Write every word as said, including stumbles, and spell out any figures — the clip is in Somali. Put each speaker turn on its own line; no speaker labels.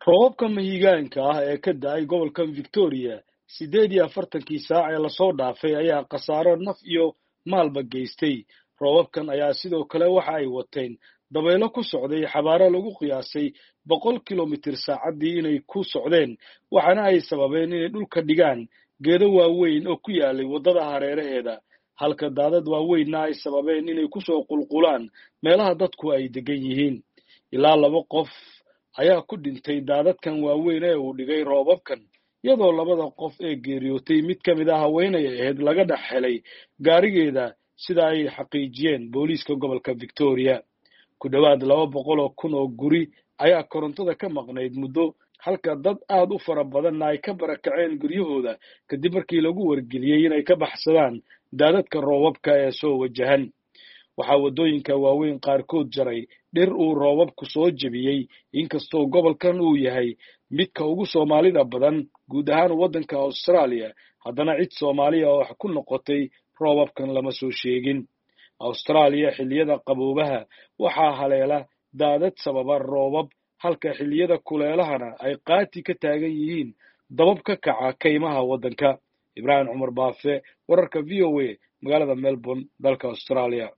Roobabka mahiigaanka ah ee ka da'ay gobolkan Victoria siddeed iyo afartankii saac ee lasoo dhaafay ayaa khasaaro naf iyo maalba geystay. Roobabkan ayaa sidoo kale waxa ay wateen dabaylo ku socday xabaaro lagu qiyaasay boqol kilomitir saacaddii inay ku socdeen, waxaana ay sababeen inay dhulka dhigaan geedo waaweyn oo ku yaalay waddada hareeraheeda, halka daadad waaweynna ay sababeen inay kusoo qulqulaan meelaha dadku ay degan yihiin. Ilaa laba qof ayaa ku dhintay daadadkan waaweyn ee uu dhigay roobabkan, iyadoo labada qof ee geeriyootay mid ka mid ah haweenay ahayd laga dhex helay gaarigeeda, sida ay xaqiijiyeen booliiska gobolka Victoria. Ku dhowaad laba boqol oo kun oo guri ayaa korontada ka maqnayd muddo, halka dad aad u fara badanna ay ka barakaceen guryahooda kadib markii lagu wargeliyey inay ka baxsadaan daadadka roobabka ee soo wajahan. Waxaa waddooyinka waaweyn qaarkood jaray dhir uu roobabku soo jebiyey, inkastoo gobolkan uu yahay midka ugu Soomaalida badan guud ahaan waddanka Australia, haddana cid Soomaaliya oo wax ku noqotay roobabkan lama soo sheegin. Australia xilliyada qaboobaha waxaa haleela daadad sababa roobab, halka xilliyada kuleelahana ay qaati ka taagan yihiin dabab ka kaca kaymaha waddanka. Ibraahim Cumar Baafe, wararka V O A, magaalada Melbourne, dalka Australia.